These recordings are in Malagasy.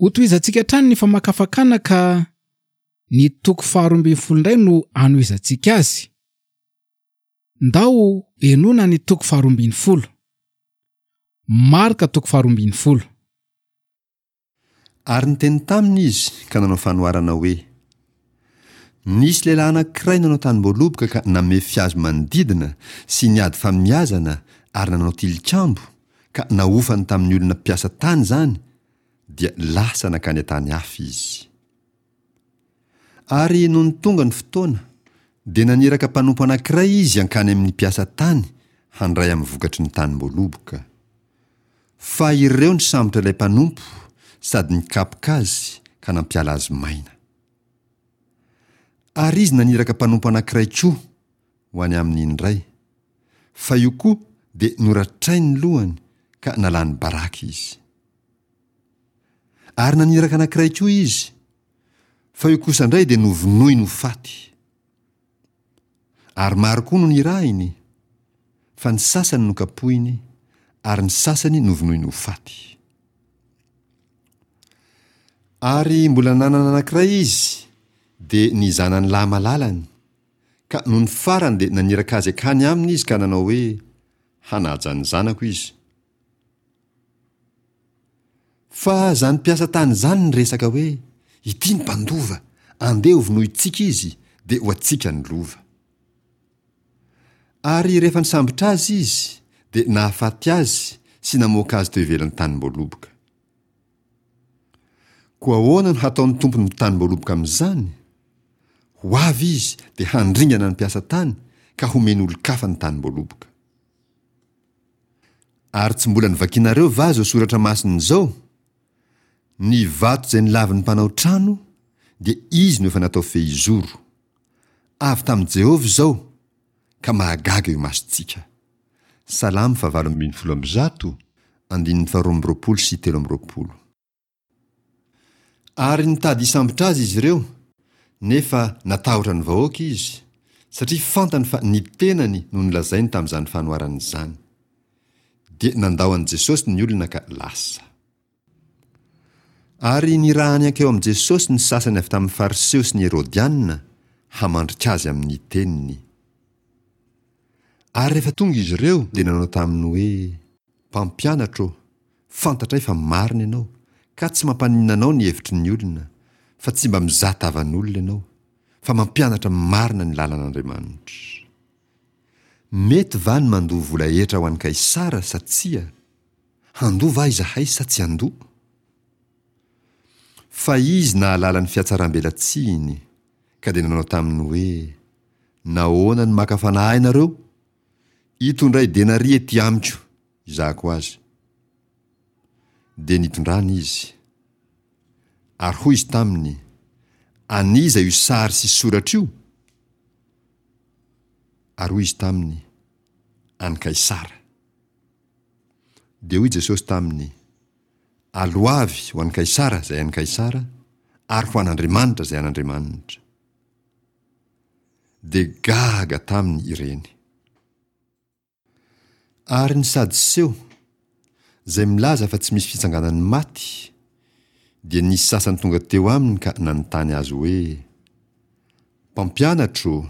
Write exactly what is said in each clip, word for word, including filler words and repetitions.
Hotohizantsika hatrany ny famakafakana ka ny toko faharoa ambin'ny folo indray no hanohizantsika azy. Ndao henoina ny toko faharoa ambin'ny folo. Marka toko faharoa ambin'ny folo. Ary niteny taminy izy ka nanao fanoharana hoe, Nisy lehilahy anankiray nanao tanim-boaloboka ka namefy hazo manodidina sy niady famiazana ary nanao tilikambo, ka nahofany tamin'ny olona mpiasa tany izany, dia lasa nankany an-tany hafa izy. Ary nony tonga ny fotoana, dia naniraka mpanompo anankiray izy hankany amin'ny mpiasa tany handray amin'ny vokatry ny tanim-boaloboka. Fa ireo nisambotra ilay mpanompo sady nikapoka azy ka nampiala azy maina. Ary izy naniraka mpanompo anankiray koa ho any aminy indray, fa io koa dia noratrainy ny lohany ka nalany baraka izy. Ary naniraka anankiray koa izy, fa io kosa indray dia novonoiny ho faty. Ary maro koa no nirahiny, fa ny sasany nokapohiny, ary ny sasany novonoiny ho faty. Ary mbola nanana anankiray izy, dia ny zanany lahy malalany, ka nony farany dia naniraka azy hankany aminy izy ka nanao hoe, Hanaja ny zanako izy. Fa izany mpiasa tany izany niresaka hoe, Ity ny mpandova, andeha hovonointsika izy, dia ho antsika ny lova. Ary rehefa nisambotra azy izy, dia nahafaty azy sy namoaka azy teo ivelan'ny tanim-boaloboka. Koa ahoana no hataon'ny tompon'ny tanim-boaloboka amin'izany? Ho avy izy dia handringana ny mpiasa tany ka homeny olon-kafa ny tanim-boaloboka. Ary tsy mbola novakinareo va izao soratra masina izao? Ny vato izay nolavin'ny mpanao trano dia izy no efa natao fehizoro. Avy tamin'i Jehovah izao, ka mahagaga eo imasontsika. Salamo fahavalo ambin'ny folo amby zato, andininy faharoa amby roapolo sy telo amby roapolo. Ary nitady hisambotra azy izy ireo, nefa natahotra ny vahoaka izy, satria fantany fa ny tenany no nolazainy tamin'izany fanoharana izany. Dia nandao an'i Jesosy ny olona ka lasa. Ary nirahany hankeo amin'i Jesosy ny sasany avy tamin'ny Fariseo sy ny Herodiana hamandrika azy amin'ny teniny. Ary rehefa tonga izy ireo dia nanao taminy hoe, Mpampianatra ô, fantatray fa marina ianao, ka tsy mampaninona anao ny hevitry ny olona, fa tsy mba mizaha tavan'olona ianao, fa mampianatra marina ny lalan'Andriamanitra. Mety va ny mandoa vola hetra ho an'i Kaisara sa tsia? Handoa va izahay sa tsy handoa? Fa izy nahalala ny fihatsarambelatsihiny, ka dia nanao taminy hoe, Nahoana no maka fanahy nareo? Itondray denaria ety amiko, hizahako azy. Dia nitondrany izy. Ary hoy izy taminy, An'iza io sary sy soratra io? Ary hoy izy taminy, An'i Kaisara. Dia hoy Jesosy taminy, Aloavy ho an'i Kaisara izay an'i Kaisara, ary ho an'Andriamanitra izay an'Andriamanitra. Dia gaga taminy ireny. Ary ny Sadoseo, izay milaza fa tsy misy fitsanganan'ny maty, dia nisy sasany tonga teo aminy ka nanontany azy hoe, Mpampianatra ô,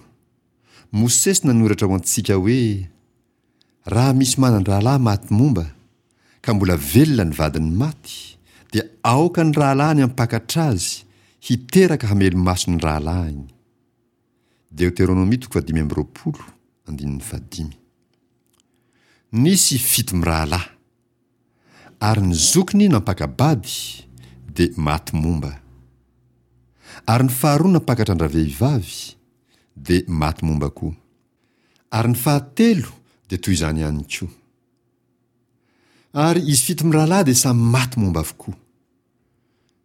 Mosesy nanoratra ho antsika hoe, Raha misy manan-drahalahy maty momba, ka mbola velona ny vadiny maty, dia aoka ny rahalahiny hampakatra azy, hiteraka hamelo-maso ny rahalahiny. Deoteronomia toko fahadimy amby roapolo, andininy fahadimy. Nisy fito mirahalahy. Ary ny zokiny nampaka-bady, dia maty momba. Ary ny faharoa nampakatra an-dravehivavy, dia maty momba koa. Ary ny fahatelo dia toy izany ihany koa. Ary izy fito mirahalahy dia samy maty momba avokoa.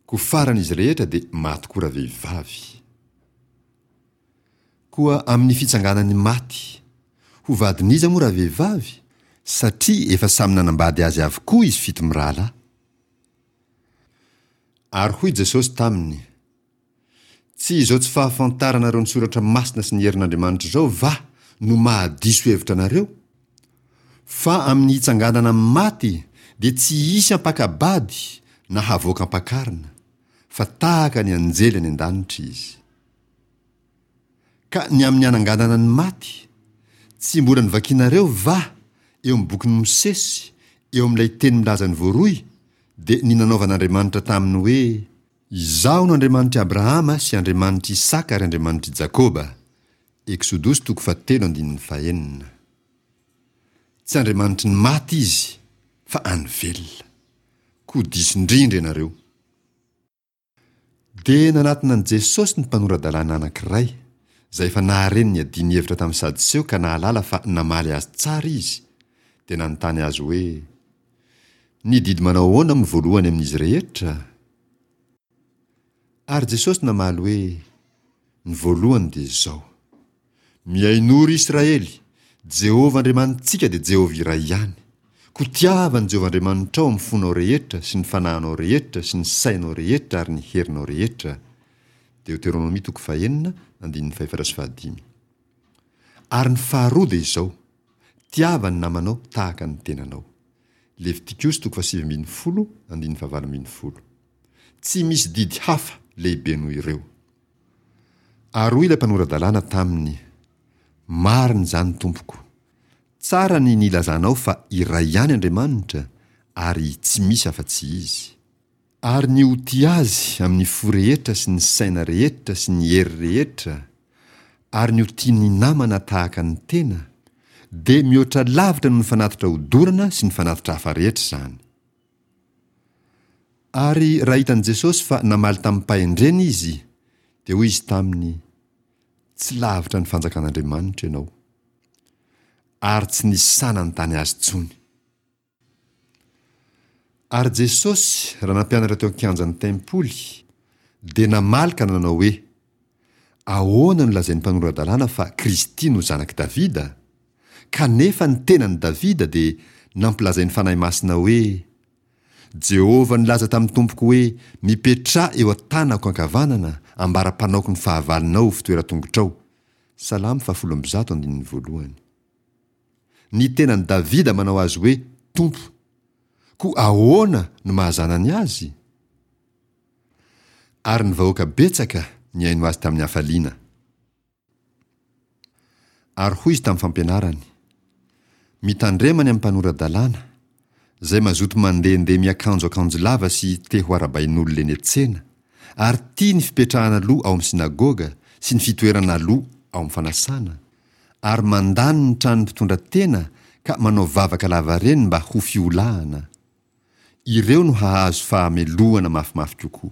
Koa farany izy rehetra dia maty koa ravehivavy. Koa amin'ny fitsanganan'ny maty, ho vadin'iza moa ravehivavy? Satria efa samy nanambady azy avokoa izy fito mirahalahy. Ary hoy Jesosy taminy, Tsy izao tsy fahafantaranareo ny Soratra Masina sy ny herin'Andriamanitra izao va no mahadiso hevitra anareo? Fa amin'ny hitsanganana amin'ny maty dia tsy hisy hampaka-bady na havoaka am-pakarina, fa tahaka ny anjely any an-danitra izy. Ka ny amin'ny hananganana ny maty, tsy mbola novakinareo va eo amin'ny bokin'i Mosesy, eo amin'ilay teny milaza ny voaroy, dia ny nanaovan'Andriamanitra taminy hoe, Izaho no Andriamanitr'i Abrahama sy Andriamanitr'i Isaka ary Andriamanitr'i Jakoba. Eksodosy toko fahatelo andininy fahenina. Tsy Andriamanitry ny maty Izy, fa an'ny velona. Koa diso indrindra ianareo. Dia nanatona an'i Jesosy ny mpanora-dalàna anankiray, izay efa nahare ny niadiany hevitra tamin'ny Sadoseo ka nahalala fa namaly azy tsara izy, dia nanontany azy hoe, Ny didy manao ahoana no voalohany amin'izy rehetra? Ary Jesosy namaly hoe, Ny voalohany dia izao, Mihainoa, ry Israely, Jehovah Andriamanitsika dia Jehovah iray ihany. Koa tiava an'i Jehovah Andriamanitrao amin'ny fonao rehetra sy ny fanahinao rehetra sy ny sainao rehetra ary ny herinao rehetra. Deoteronomia toko fahenina, andininy fahefatra sy fahadimy. Ary ny faharoa dia izao, Tiava ny namanao tahaka ny tenanao. Levitikosy toko fahasivy ambin'ny folo, andininy fahavalo ambin'ny folo. Tsy misy didy hafa lehibe noho ireo. Ary hoy ilay mpanora-dalàna taminy, Marina izany, Tompoko. Tsara ny nilazanao fa iray ihany Andriamanitra ary tsy misy afa-tsy Izy. Ary ny ho tia Azy amin'ny fo rehetra sy ny saina rehetra sy ny hery rehetra, ary ny ho tia ny namana tahaka ny tena, dia mihoatra lavitra noho ny fanatitra hodorana sy ny fanatitra hafa rehetra izany. Ary raha hitan'i Jesosy fa namaly tamim-pahendrena izy, dia hoy Izy taminy, Tsy lavitra ny fanjakan'Andriamanitra ianao. Ary tsy nisy sahy nanontany azy intsony. Ary Jesosy, raha nampianatra teo an-kianjan'ny tempoly, dia namaly ka nanao hoe, Ahoana no lazain'ny mpanora-dalàna fa Kristy no Zanak'i Davida? Kanefa ny tenan'i Davida dia nampilazain'ny Fanahy Masina hoe, Jehovah nilaza tamin'ny Tompoko hoe, Mipetraha eo an-tanako ankavanana, ambara-panaoko ny fahavalonao ho fitoeran-tongotrao. Salamo fahafolo amby zato andininy voalohany. Ny tenan'i Davida manao azy hoe Tompo. Koa ahoana no maha-zanany azy? Ary ny vahoaka betsaka nihaino azy tamin'ny hafaliana. Ary hoy izy tamin'ny fampianarany, Mitandrema ny amin'ny mpanora-dalàna, izay mazoto mandehandeha miakanjo akanjo lava sy te ho arabain'olona eny an-tsena, ary tia ny fipetrahana aloha ao amin'ny synagoga sy ny fitoerana aloha ao amin'ny fanasana, ary mandany ny tranon'ny mpitondra tena ka manao vavaka lavareny mba ho fiolahana. Ireo no hahazo fahamelohana mafimafy kokoa.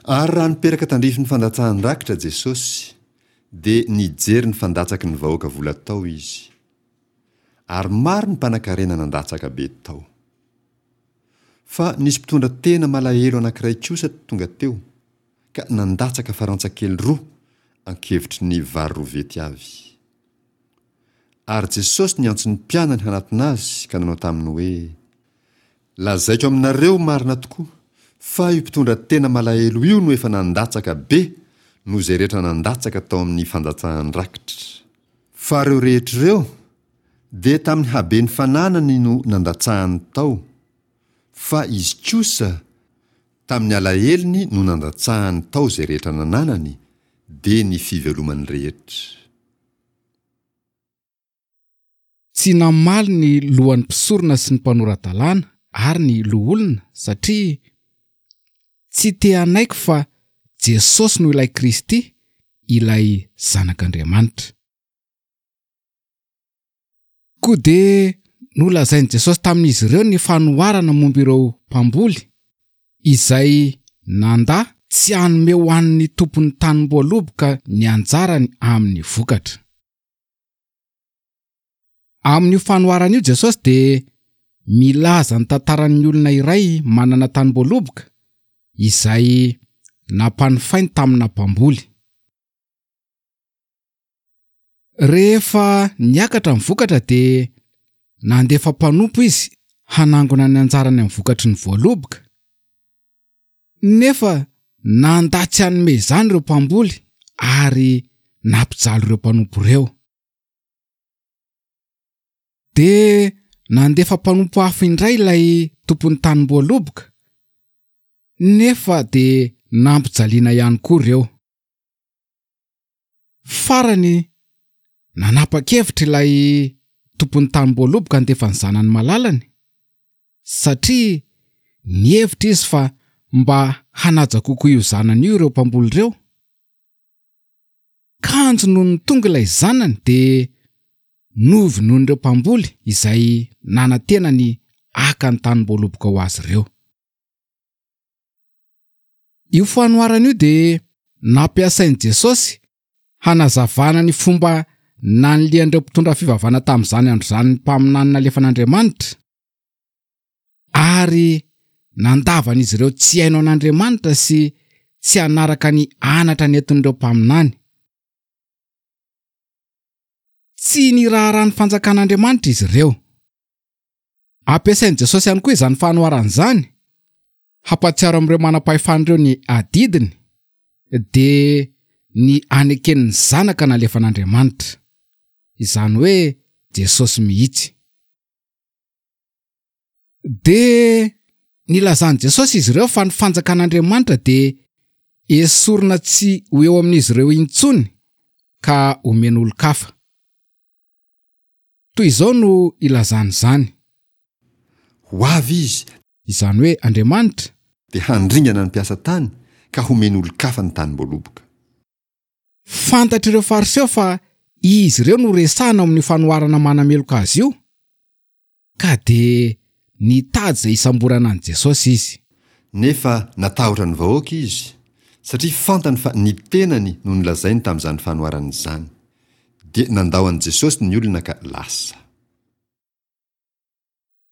Ary raha niperaka tandrifin'ny fandatsahan-drakitra Jesosy, dia nijery ny fandatsaky ny vahoaka vola tao Izy. Ary maro ny mpanankarena nandatsaka be tao. Fa nisy mpitondra tena malahelo anankiray kosa tonga teo, ka nandatsaka farantsa kely roa ankevitry ny vary roviety avy. Ary Jesosy niantso ny mpianany hanatona Azy ka nanao taminy hoe, Lazaiko aminareo marina tokoa, fa io mpitondra tena malahelo io no efa nandatsaka be noho izay rehetra nandatsaka tao amin'ny fandatsahan-drakitra. Fa ireo rehetra ireo dia tamin'ny haben'ny fananany no nandatsahany tao, fa izy kosa tamin'ny alahelony no nandatsahany tao izay rehetra nananany, dia ny fivelomany rehetra. Tsy namaly ny lohan'ny mpisorona sy ny mpanora-dalàna ary ny loholona satria tsy te hanaiky fa Jesosy no ilay Kristy, ilay Zanak'Andriamanitra. Koa dia nolazain'i Jesosy tamin'izy ireo ny fanoharana momba ireo mpamboly izay nandà tsy hanome ho an'ny tompon'ny tanim-boaloboka ny anjarany amin'ny vokatra. Amin'io fanoharana io Jesosy dia milaza ny tantaran'ny olona iray manana tanim-boaloboka izay nampanofainy tamina mpamboly. Rehefa niakatra ny vokatra dia nandefa mpanompo izy hanangona ny anjarany amin'ny vokatry ny voaloboka. Nefa nandà tsy hanome izany ireo mpamboly ary nampijaly ireo mpanompo ireo. Dia nandefa mpanompo hafa indray ilay tompon'ny tanim-boaloboka, Nefa dia nampijaliana ihany koa ireo. Farany, nanapa-kevitra ilay tompon'ny tanim-boaloboka handefa ny zanany malalany, satria nihevitra izy fa mba hanaja kokoa io zanany io ireo mpamboly ireo. Kanjo nony tonga ilay zanany dia novonoin'ireo mpamboly izay nanantena ny haka ny tanim-boaloboka ho azy ireo. Io fanoharana io dia nampiasain'i Jesosy hanazavana ny fomba nanilian'ireo mpitondra fivavahana tamin'izany andro izany ny mpaminany nalefan'Andriamanitra, ary nandavan'izy ireo tsy haino an'Andriamanitra sy tsy hanaraka ny anatra nentin'ireo mpaminany. Tsy niraharaha ny fanjakan'Andriamanitra izy ireo. Ampiasain'i Jesosy ihany koa izany fanoharana izany hampahatsiaro amin'ireo manam-pahefana ireo ny adidiny, dia ny aneken'ny zanaka nalefan'Andriamanitra, izany hoe Jesosy mihitsy. Dia nilazan'i Jesosy izy ireo fa ny fanjakan'Andriamanitra dia esorina tsy ho eo amin'izy ireo intsony ka omen'olon-kafa. Toy izao no ilazany izany. Ho avy izy, Izany hoe Andriamanitra, dia handringana ny mpiasa tany ka homen'olon-kafa ny tanim-boaloboka. Fantatr'ireo Fariseo fa izy ireo no resahina ao amin'io fanoharana manameloka azy io, ka dia nitady izay hisamborana an'i Jesosy izy. Nefa natahotra ny vahoaka izy, satria fantany fa ny tenany no nolazainy tamin'izany fanoharana izany. Dia nandao an'i Jesosy ny olona ka lasa.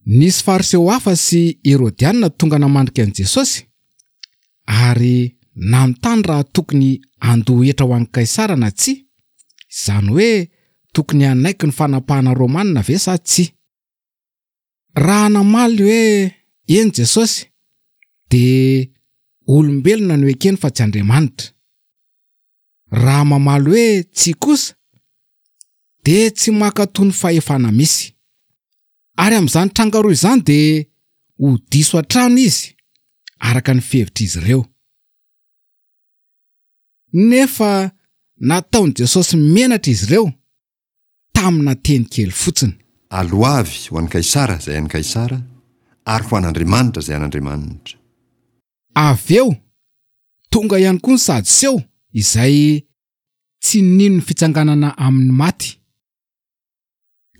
Nisy Fariseo hafa sy Herodianina tonga namandrika an'i Jesosy ary nanontany raha tokony handoa hetra ho an'i Kaisara na tsia, izany hoe tokony hanaiky ny fanapahana romanina ve sa tsia. Raha namaly hoe eny Jesosy, dia olombelona no ekeny fa tsy Andriamanitra. Raha mamaly hoe tsia kosa, dia tsy mankatò ny fahefana misy. Ary amin'izany tranga roa izany dia ho diso hatrany izy araka ny fihevitr'izy ireo. Nefa nataon'i Jesosy menatra izy ireo tamina teny kely fotsiny. Aloavy ho an'i Kaisara izay an'i Kaisara, ary ho an'Andriamanitra izay an'Andriamanitra. Avy eo, tonga ihany koa ny Sadoseo izay tsy nino ny fitsanganana amin'ny maty.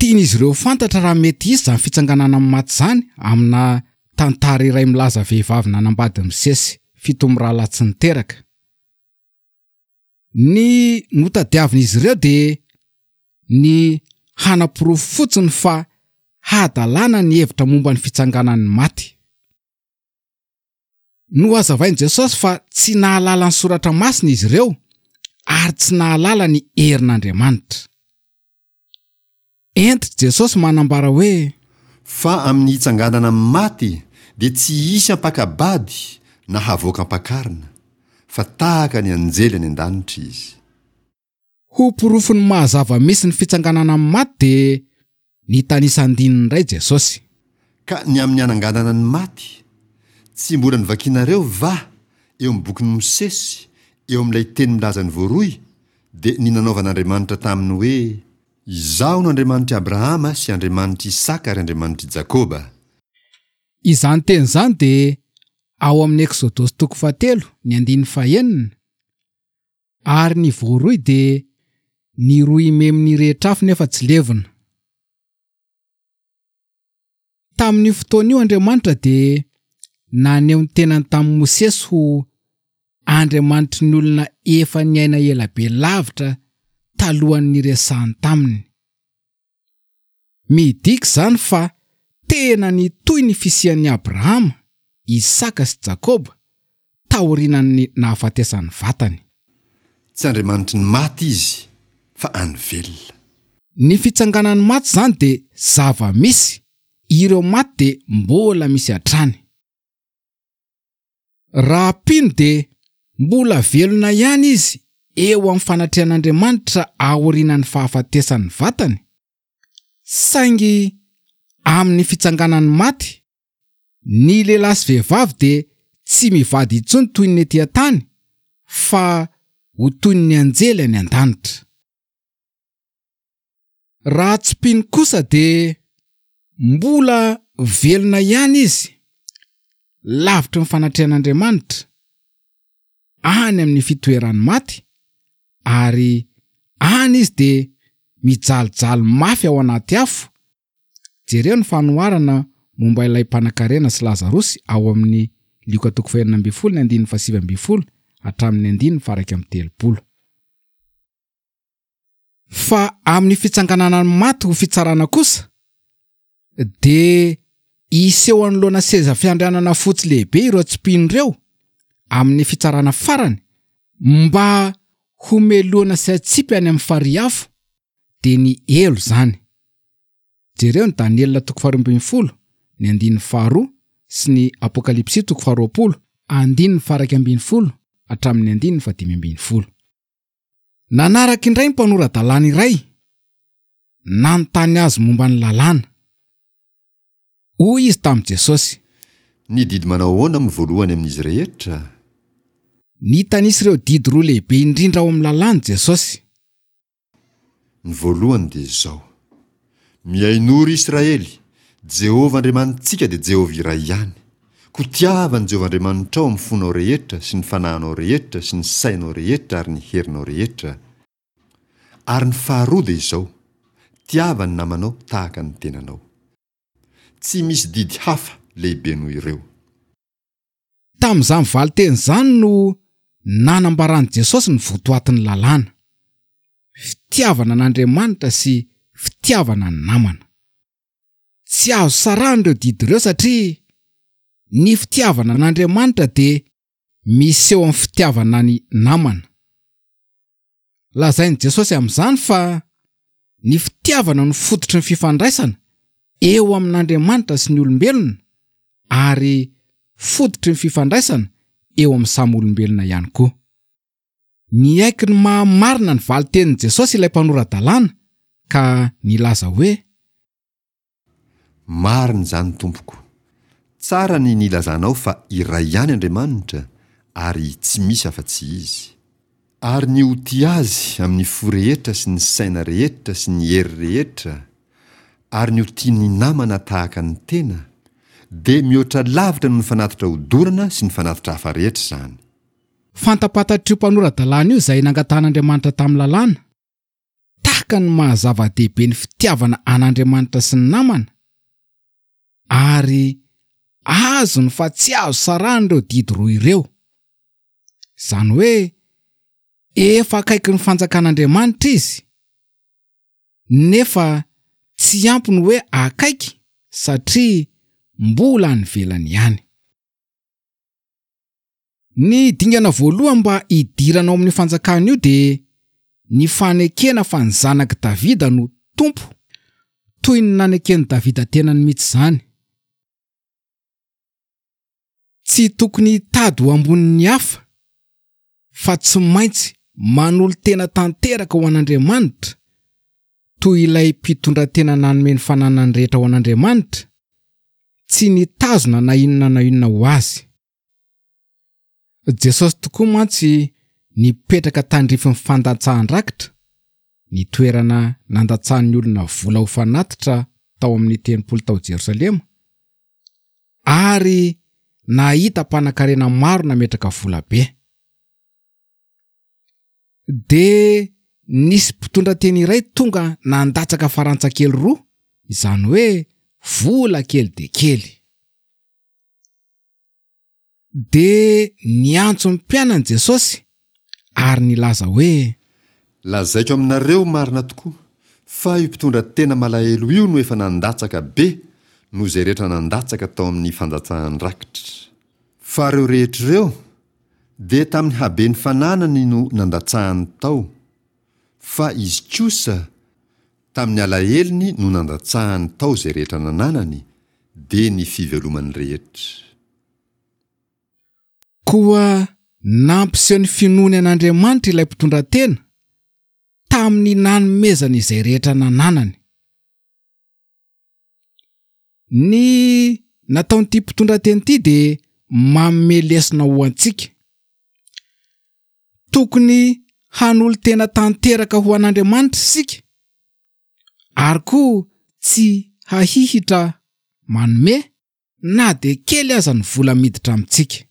Tian'izy ireo fantatra raha mety hisy izany fitsanganana amin'ny maty izany amina tantara iray milaza vehivavy nanambady misesy fito mirahalahy tsy niteraka. Ny notadiavin'izy ireo dia ny hanaporofo fotsiny fa hadalana ny hevitra momba ny fitsanganan'ny maty. Nohazavain'i Jesosy fa tsy nahalala ny soratra masina izy ireo ary tsy nahalala ny herin'Andriamanitra. Entry Jesosy manambara hoe: Fa amin'ny hitsanganana amin'ny maty dia tsy hisy ampakabady na havoaka ampakarina, fa tahaka ny anjely any an-danitra izy. Ho porofon'ny mahazava-misy ny fitsanganana amin'ny maty dia nitanisa andininy iray Jesosy. Ka ny amin'ny hananganana ny maty, tsy mbola novakinareo va eo amin'ny bokin'i Mosesy, eo amin'ilay teny milaza ny voaroy, dia ny nanaovan'Andriamanitra taminy hoe: Izaho no Andriamanitr'i Abrahama sy Andriamanitr'i Isaka ary Andriamanitr'i Jakoba. Izany teny izany dia ao amin'ny Eksodosy toko fahatelo ny andininy fahenina, ary ny voaroy dia ny roy memy nirehitra afo nefa tsy levona. Tamin'io fotoana io Andriamanitra dia naneho ny tenany tamin'i Mosesy ho Andriamanitry ny olona efa niaina ela be lavitra talohan'ny niresahany taminy. Midika izany fa tena nitohy ny fisian'i Abrahama, Isaka sy Jakoba taorian'ny nahafatesan'ny vatany. Tsy Andriamanitry ny maty izy, fa an'ny velona. Ny fitsanganan'ny maty izany dia zava-misy, ireo maty dia mbola misy hatrany. Raha mpino dia mbola velona ihany izy eo amin'ny fanatrehan'Andriamanitra aorianan'ny fahafatesan'ny vatany, saingy amin'ny fitsanganan'ny maty, ny lehilahy sy vehivavy dia tsy mivady intsony toy ny ety an-tany fa ho toy ny anjely any an-danitra. Raha tsy mpino kosa dia mbola velona ihany izy, lavitry ny fanatrehan'Andriamanitra, any amin'ny fitoeran'ny maty, ary any izy dia mijalijaly mafy ao anaty afo. Jereo ny fanoharana momba ilay mpanankarena sy Lazarosy ao amin'ny Lioka toko fahenina ambin'ny folo ny andininy fahasivy ambin'ny folo hatramin'ny andininy faha-iraika amby telopolo. Fa amin'ny fitsanganana ny maty ho fitsarana kosa dia hiseho anoloana seza fiandrianana fotsy lehibe ireo tsy mpino ireo amin'ny fitsarana farany mba homelohana sy hatsipy any amin'ny farihy afo, dia ny helo izany. Jereo ny Daniela toko faharoa ambin'ny folo, ny andininy faharoa sy ny Apokalypsy toko faharoapolo, andininy faha-iraika ambin'ny folo hatramin'ny andininy fahadimy ambin'ny folo. Nanaraka indray ny mpanora-dalàna iray nanontany azy momba ny lalàna. Hoy izy tamin'i Jesosy: Ny didy manao ahoana no voalohany amin'izy rehetra? Nitanisa ireo didy roa lehibe indrindra ao amin'ny lalàna Jesosy. Ny voalohany dia izao: Mihainoa ry Israely, Jehovah Andriamanitsika dia Jehovah iray ihany. Koa tiava an'i Jehovah Andriamanitrao amin'ny fonao rehetra sy ny fanahinao rehetra sy ny sainao rehetra ary ny herinao rehetra. Ary ny faharoa dia izao: Tiava ny namanao tahaka ny tenanao. Tsy misy didy hafa lehibe noho ireo. Tamin'izany valin-teny izany no nanambaran'i Jesosy ny votoatin'ny lalàna: fitiavana an'Andriamanitra sy fitiavana ny namana. Tsy azo sarahina ireo didy ireo satria ny fitiavana an'Andriamanitra dia miseho amin'ny fitiavana ny namana. Lazain'i Jesosy amin'izany fa ny fitiavana no fototry ny fifandraisana eo amin'Andriamanitra sy ny olombelona ary fototry ny fifandraisana eo amin'ny samy olombelona ihany koa. Niaiky ny mahamarina ny valin-tenin'i Jesosy ilay mpanora-dalàna ka nilaza hoe: Marina izany tompoko. Tsara ny nilazanao fa iray ihany Andriamanitra ary tsy misy afa-tsy Izy. Ary ny ho tia Azy amin'ny fo rehetra sy ny saina rehetra sy ny hery rehetra, ary ny ho tia ny namana tahaka ny tena, dia mihoatra lavitra noho ny fanatitra hodorana sy ny fanatitra hafa rehetra izany. Fantapantatr'io mpanora-dalàna io izay nangatahan'Andriamanitra tamin'ny lalàna, tahaka ny maha-zava-dehibe ny fitiavana an'Andriamanitra sy ny namana, ary azony fa tsy azo sarahina ireo didy roa ireo. Izany hoe efa akaiky ny fanjakan'Andriamanitra izy, nefa tsy ampy ny hoe akaiky satria mbola any ivelany ihany. Ny dingana voalohany mba hidirana ao amin'io fanjakana io dia ny fanekena fa ny zanak'i Davida no tompo, toy ny naneken'i Davida tenany mihitsy izany. Tsy tokony hitady ho ambonin'ny hafa, fa tsy maintsy manolo-tena tanteraka ho an'Andriamanitra, toy ilay mpitondra-tena nanome ny fananany rehetra ho an'Andriamanitra, tsy nitazona na inona na inona ho azy. Jesosy tokoa mantsy nipetraka tandrifin'ny fandatsahan-drakitra, ny toerana nandatsahan'ny olona vola ho fanatitra tao amin'ny tempoly tao Jerosalema, ary nahita mpanankarena maro nametraka vola be. Dia nisy mpitondra teny iray tonga nandatsaka farantsa kely roa, izany hoe vola kely dia kely. Dia niantso ny mpianany Jesosy ary nilaza hoe: Lazaiko aminareo marina tokoa fa io mpitondra tena malahelo io no efa nandatsaka be noho izay rehetra nandatsaka tao amin'ny fandatsahan-drakitra. Fa ireo rehetra ireo dia tamin'ny haben'ny fananany no nandatsahany tao, fa izy kosa tamin'ny alahelony no nandatsahany tao izay rehetra nananany, dia ny fivelomany rehetra. Koa nampiseho ny finoany an'Andriamanitra ilay mpitondra tena tamin'ny nanomezany izay rehetra nananany. Ny nataon'ity mpitondra tena ity dia manome lesona ho antsika. Tokony hanolo-tena tanteraka ho an'Andriamanitra isika ary koa tsy hahihitra manome na dia kely aza ny vola miditra amintsika.